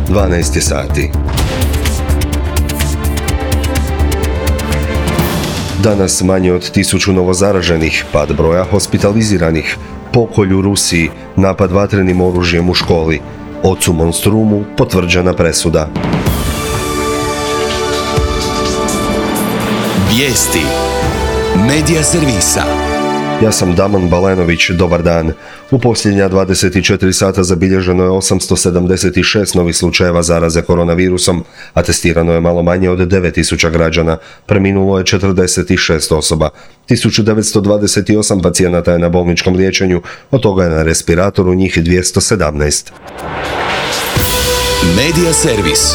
12 sati. Danas manje od 1000 novozaraženih, pad broja hospitaliziranih, pokolj u Rusiji, napad vatrenim oružjem u školi, ocu monstrumu potvrđena presuda. Vijesti Medija servisa. Ja sam Damon Balenović, dobar dan. U posljednja 24 sata zabilježeno je 876 novih slučajeva zaraze koronavirusom, a testirano je malo manje od 9000 građana. Preminulo je 46 osoba. 1928 pacijenata je na bolničkom liječenju, od toga je na respiratoru njih 217. Medija servis.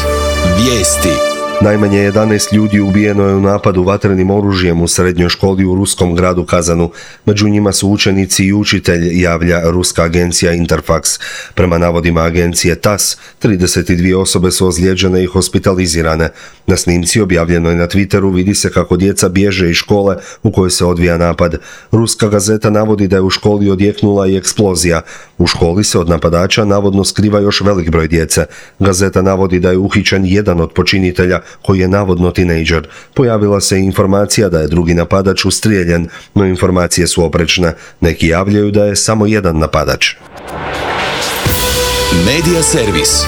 Vijesti. Najmanje 11 ljudi ubijeno je u napadu vatrenim oružjem u srednjoj školi u ruskom gradu Kazanu. Među njima su učenici i učitelj, javlja ruska agencija Interfax. Prema navodima agencije TASS, 32 osobe su ozlijeđene i hospitalizirane. Na snimci objavljenoj na Twitteru vidi se kako djeca bježe iz škole u kojoj se odvija napad. Ruska gazeta navodi da je u školi odjeknula i eksplozija. U školi se od napadača navodno skriva još velik broj djece. Gazeta navodi da je uhićen jedan od počinitelja, koji je navodno tinejdžer. Pojavila se informacija da je drugi napadač ustrijeljen, no informacije su oprečne. Neki javljaju da je samo jedan napadač. Medija servis.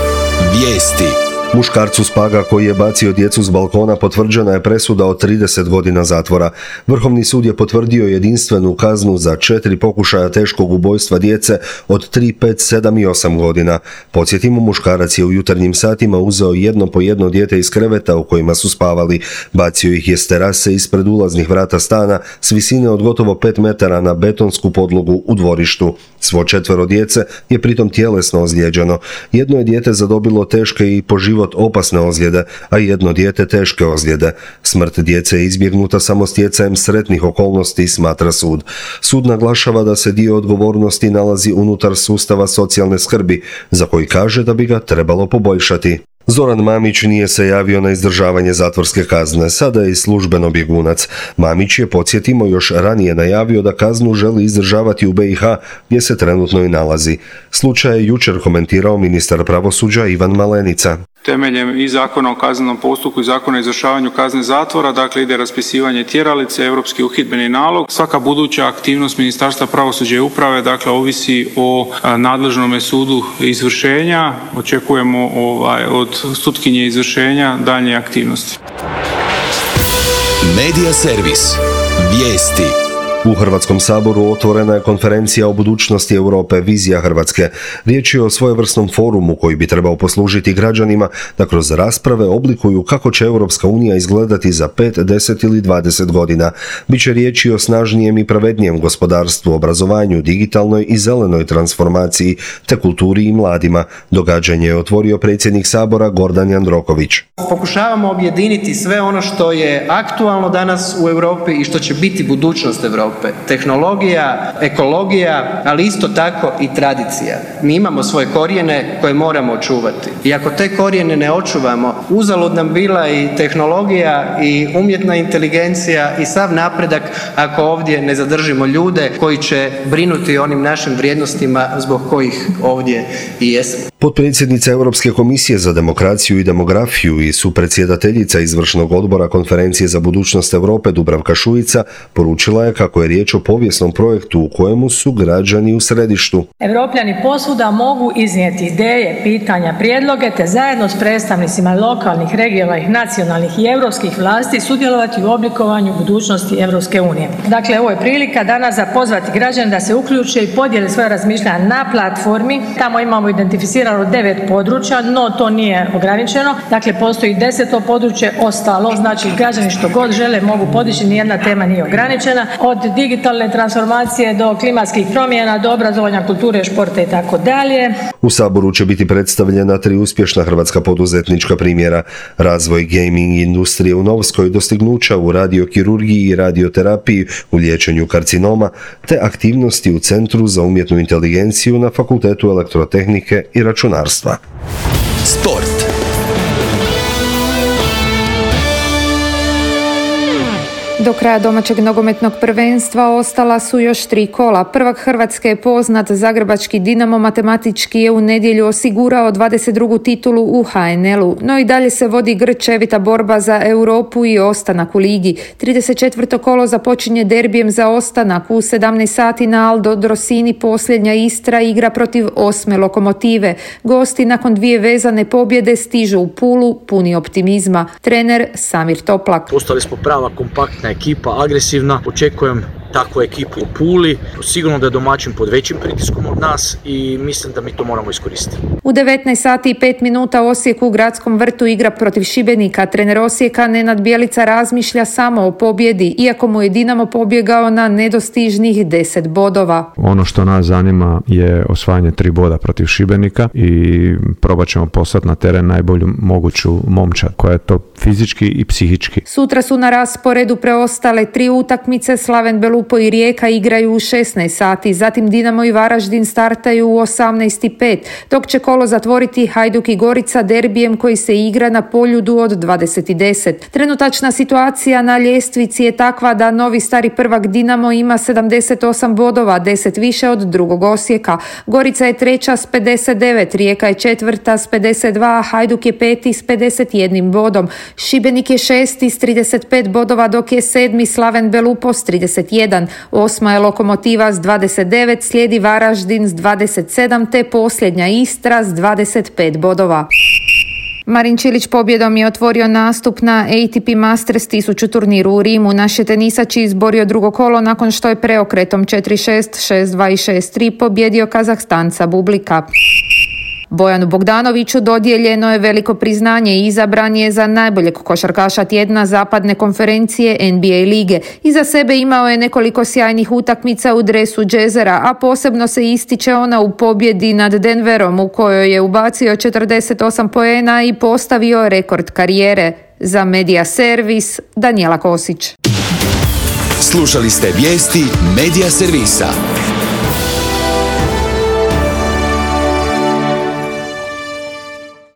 Vijesti. Muškarcu s Paga koji je bacio djecu s balkona potvrđena je presuda od 30 godina zatvora. Vrhovni sud je potvrdio jedinstvenu kaznu za 4 pokušaja teškog ubojstva djece od 3, 5, 7 i 8 godina. Podsjetimo, muškarac je u jutarnjim satima uzeo jedno po jedno dijete iz kreveta u kojima su spavali. Bacio ih je s terase ispred ulaznih vrata stana s visine od gotovo 5 metara na betonsku podlogu u dvorištu. Svo 4 djece je pritom tjelesno ozlijeđeno. Jedno je dijete zadobilo teške i po život opasne ozljede, a jedno dijete teške ozljede. Smrt djece je izbjegnuta samo stjecajem sretnih okolnosti, smatra sud. Sud naglašava da se dio odgovornosti nalazi unutar sustava socijalne skrbi, za koji kaže da bi ga trebalo poboljšati. Zoran Mamić nije se javio na izdržavanje zatvorske kazne, sada je i službeno bjegunac. Mamić je, podsjetimo, još ranije najavio da kaznu želi izdržavati u BiH, gdje se trenutno i nalazi. Slučaj je jučer komentirao ministar pravosuđa Ivan Malenica. Temeljem i Zakona o kaznenom postupku i Zakona o izvršavanju kazne zatvora, dakle ide raspisivanje tjeralice, europski uhidbeni nalog. Svaka buduća aktivnost Ministarstva pravosuđa i uprave, dakle, ovisi o nadležnome sudu izvršenja. Očekujemo od sutkinje izvršenja daljnje aktivnosti. Medija servis. Vijesti. U Hrvatskom saboru otvorena je konferencija o budućnosti Europe, vizija Hrvatske. Riječ je o svojevrsnom forumu koji bi trebao poslužiti građanima da kroz rasprave oblikuju kako će Europska unija izgledati za 5, 10 ili 20 godina. Biće riječi o snažnijem i pravednijem gospodarstvu, obrazovanju, digitalnoj i zelenoj transformaciji, te kulturi i mladima. Događanje je otvorio predsjednik Sabora Gordan Jandroković. Pokušavamo objediniti sve ono što je aktualno danas u Europi i što će biti budućnost Europe. Tehnologija, ekologija, ali isto tako i tradicija. Mi imamo svoje korijene koje moramo očuvati. I ako te korijene ne očuvamo, uzalud nam bila i tehnologija i umjetna inteligencija i sav napredak ako ovdje ne zadržimo ljude koji će brinuti o onim našim vrijednostima zbog kojih ovdje i jesmo. Potpredsjednica Europske komisije za demokraciju i demografiju i supredsjedateljica izvršnog odbora konferencije za budućnost Europe Dubravka Šuica poručila je kako je riječ o povijesnom projektu u kojemu su građani u središtu. Europljani posvuda mogu iznijeti ideje, pitanja, prijedloge te zajedno s predstavnicima lokalnih, regionalnih, nacionalnih i europskih vlasti sudjelovati u oblikovanju budućnosti Europske unije. Dakle, ovo je prilika danas za pozvati građane da se uključe i podijele svoje razmišljanja na platformi. Tamo imamo identificirano 9 područja, no to nije ograničeno. Dakle, postoji 10. područje, ostalo, znači građani što god žele mogu podići, nijedna tema nije ograničena. Od digitalne transformacije do klimatskih promjena, do obrazovanja, kulture, športa i tako dalje. U Saboru će biti predstavljena 3 uspješna hrvatska poduzetnička primjera: razvoj gaming industrije u Novskoj, dostignuća u radiokirurgiji i radioterapiji u liječenju karcinoma, te aktivnosti u Centru za umjetnu inteligenciju na Fakultetu elektrotehnike i računarstva. Sport. Do kraja domaćeg nogometnog prvenstva ostala su još 3 kola. Prvak Hrvatske je poznat, zagrebački Dinamo matematički je u nedjelju osigurao 22. titulu u HNL-u, no i dalje se vodi grčevita borba za Europu i ostanak u ligi. 34. kolo započinje derbijem za ostanak. U 17 sati na Aldo Drosini posljednja Istra igra protiv 8. Lokomotive. Gosti nakon 2 vezane pobjede stižu u Pulu puni optimizma. Trener Samir Toplak. Postali smo prava kompaktna ekipa, agresivna. Očekujem takvu ekipu u Puli. Sigurno da je domaćin pod većim pritiskom od nas i mislim da mi to moramo iskoristiti. U 19 sati i 5 minuta Osijek u Gradskom vrtu igra protiv Šibenika. Trener Osijeka Nenad Bjelica razmišlja samo o pobjedi, iako mu je Dinamo pobjegao na nedostižnih 10 bodova. Ono što nas zanima je osvajanje 3 boda protiv Šibenika i probat ćemo poslati na teren najbolju moguću momčad koja je to fizički i psihički. Sutra su na rasporedu preostale 3 utakmice. Slaven Belupo i Rijeka igraju u 16 sati, zatim Dinamo i Varaždin startaju u 18:05, dok će kolo zatvoriti Hajduk i Gorica derbijem koji se igra na Poljudu od 20:10. Trenutačna situacija na ljestvici je takva da novi stari prvak Dinamo ima 78 bodova, 10 više od drugog Osijeka. Gorica je treća s 59, Rijeka je četvrta s 52, Hajduk je peti s 51 bodom. Šibenik je šesti s 35 bodova, dok je sedmi Slaven Belupo s 31. Osma je Lokomotiva s 29, slijedi Varaždin s 27, te posljednja Istra s 25 bodova. Marin Čilić pobjedom je otvorio nastup na ATP Masters 1000 turniru u Rimu. Naš je tenisač izborio drugo kolo nakon što je preokretom 4-6, 6-2 i 6-3 pobjedio Kazahstanca Bublika. Bojanu Bogdanoviću dodijeljeno je veliko priznanje i izabran je za najboljeg košarkaša tjedna zapadne konferencije NBA lige. Iza sebe imao je nekoliko sjajnih utakmica u dresu Jazzera, a posebno se ističe ona u pobjedi nad Denverom u kojoj je ubacio 48 poena i postavio rekord karijere. Za Medija Servis, Danijela Kosić. Slušali ste vijesti Medija Servisa.